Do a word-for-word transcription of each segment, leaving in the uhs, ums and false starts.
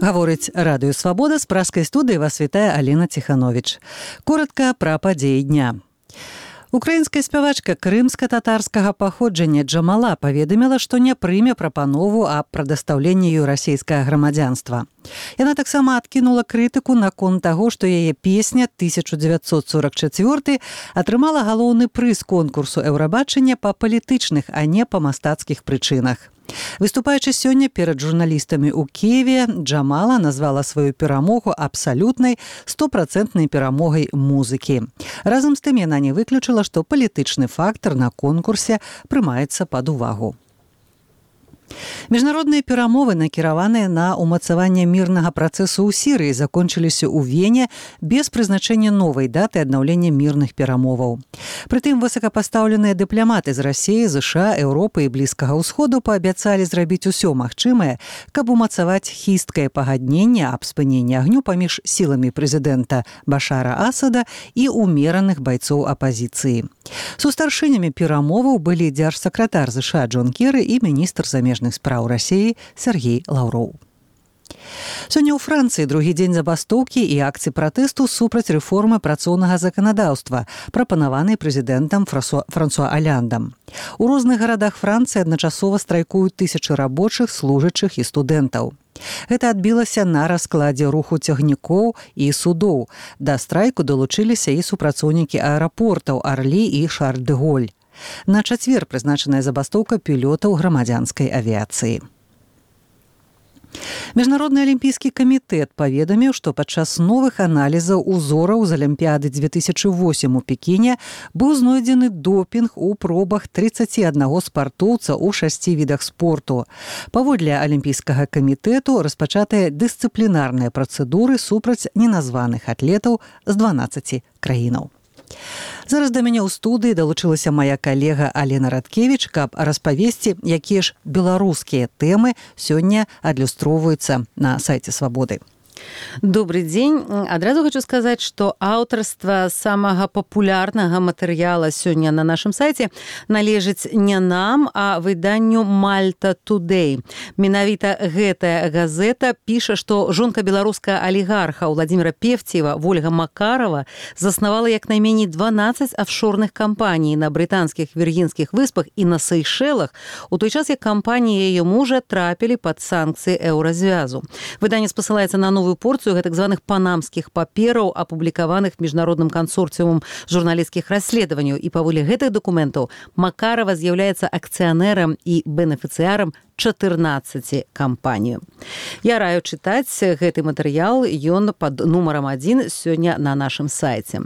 Гаворыць радыё «Свабода», з пражскай студыі вас вітае Алена Ціхановіч. Коротка пра падзеі дня. Украінская спявачка крымска-татарскага паходжання Джамала паведаміла, што не прыме прапанову аб прадастаўленні ёй расійскага грамадзянства. Яна таксама адкінула крытыку наконт таго, што яе песня тысяча дзевяцьсот сорок чацвёрты атрымала галоўны прыз конкурсу Еўрабачання па палітычных, а не па мастацкіх прычынах. Выступаючы сёння перад журналістамі ў Кіеве, Джамала назвала сваю перамогу абсалютнай стопрацэнтнай перамогай музыкі. Разам з тым яна не выключыла, што палітычны фактар на конкурсе прымаецца пад увагу. Міжнародныя перамовы, накіраваныя на ўмацаванне мірнага працэсу ў Сірыі, закончыліся ў Вене без прызначэння новай даты аднаўлення мірных перамоваў. Прытым высокапастаўленыя дыпламаты з Расіі, ЗША, Еўропы і Блізкага ўсходу паабяцалі зрабіць усё магчымае, каб умацаваць хісткае пагадненне аб спыненні агню паміж сіламі прэзідэнта Башара Асада і умераных байцоў апазіцыі. Сустаршынямі перамоваў былі дзяржсакратар ЗША Джон Керы і міністр замежных спраў Расіі Сергей Лаўроў. Сёння ў Францыі другі дзень забастоўкі і акцый пратэсту супраць рэформы працоўнага заканадаўства, прапанаванай прэзідэнтам Франсуа Аляндам. У розных гарадах Францыі адначасова страйкуюць тысячы рабочых, служачых і студэнтаў. Гэта адбілася на раскладзе руху цягнікоў і судоў. Да страйку далучыліся і супрацоўнікі аэрапортаў Арлі і Шарль-дэ-Голь. На чацвер прызначаная забастоўка пілётаў грамадзянскай авіяцыі. Міжнародны алімпійскі камітэт паведаміў, што падчас новых аналізаў узораў з Алімпіяды дзве тысячы восем у Пекіне быў знойдзены допінг у пробах трыццаці аднаго спартоўца ў шасці відах спорту. Паводле алімпійскага камітэту распачатыя дысцыплінарныя працэдуры супраць неназваных атлетаў з дванаццаці краінаў. Зараз да мяне ў студыі далучылася мая калега Алена Радкевіч, каб распавесці, якія ж беларускія тэмы сёння адлюстроўваюцца на сайце «Свабоды». Добрый дзень. Адразу хочу сказаць, што аўтарства самага папулярнага матэрыяла сёння на нашым сайце належыць не нам, а выданню Malta Today. Менавіта гэтая газета піша, што жонка беларускага алігарха Владзіміра Певцеева Вольга Макарова заснавала як найменей дванаццаць афшорных кампаній на брытанскіх Віргінскіх выспах і на Сейшэлах, у той час як кампаніі яе мужа трапілі пад санкцыі еўразвязу. Выданне спасылаецца на новую порцыю гэтак званых панамскіх папераў, апублікаваных міжнародным кансорцыумам журналісцкіх расследаванняў. І паводле гэтых дакументаў Макарова з'яўляецца акцыянерам і бенефіцыярам чатырнаццаці кампаній. Я раю чытаць гэты матэрыял, ён пад нумарам адзін сёння на нашым сайце.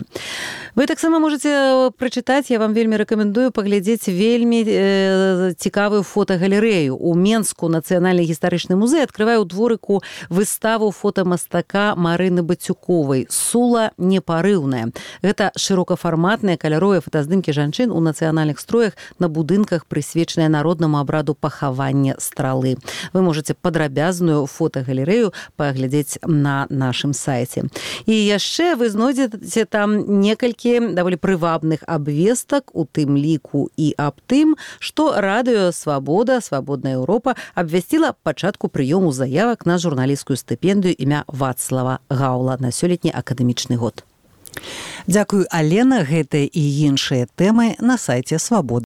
Вы таксама можаце прачытаць, я вам вельмі рэкамендую паглядзець вельмі э, цікавую фотагалерэю. У Менску Нацыянальны гістарычны музей адкрывае ў дворыку выставу фотамастака Марыны Бацюковай «Сула непарыўная». Гэта шырокафарматныя каляровыя фотаздымкі жанчын у нацыянальных строях на будынках, прысвечаныя народнаму абраду пахавання стралы. Вы можаце падрабязную фотагалерэю паглядзець на нашым сайце. І яшчэ вы знойдзеце там некалькі даволі прывабных абвестак, у тым ліку і аб тым, што радыё «Свабода», «Свабодная Еўропа» абвясціла пачатку прыёму заявак на журналісцкую стыпендыю імя Вацлава Гаўла на сёлетні акадэмічны год. Дзякую, Алена. Гэтыя і іншыя тэмы на сайце «Свабода».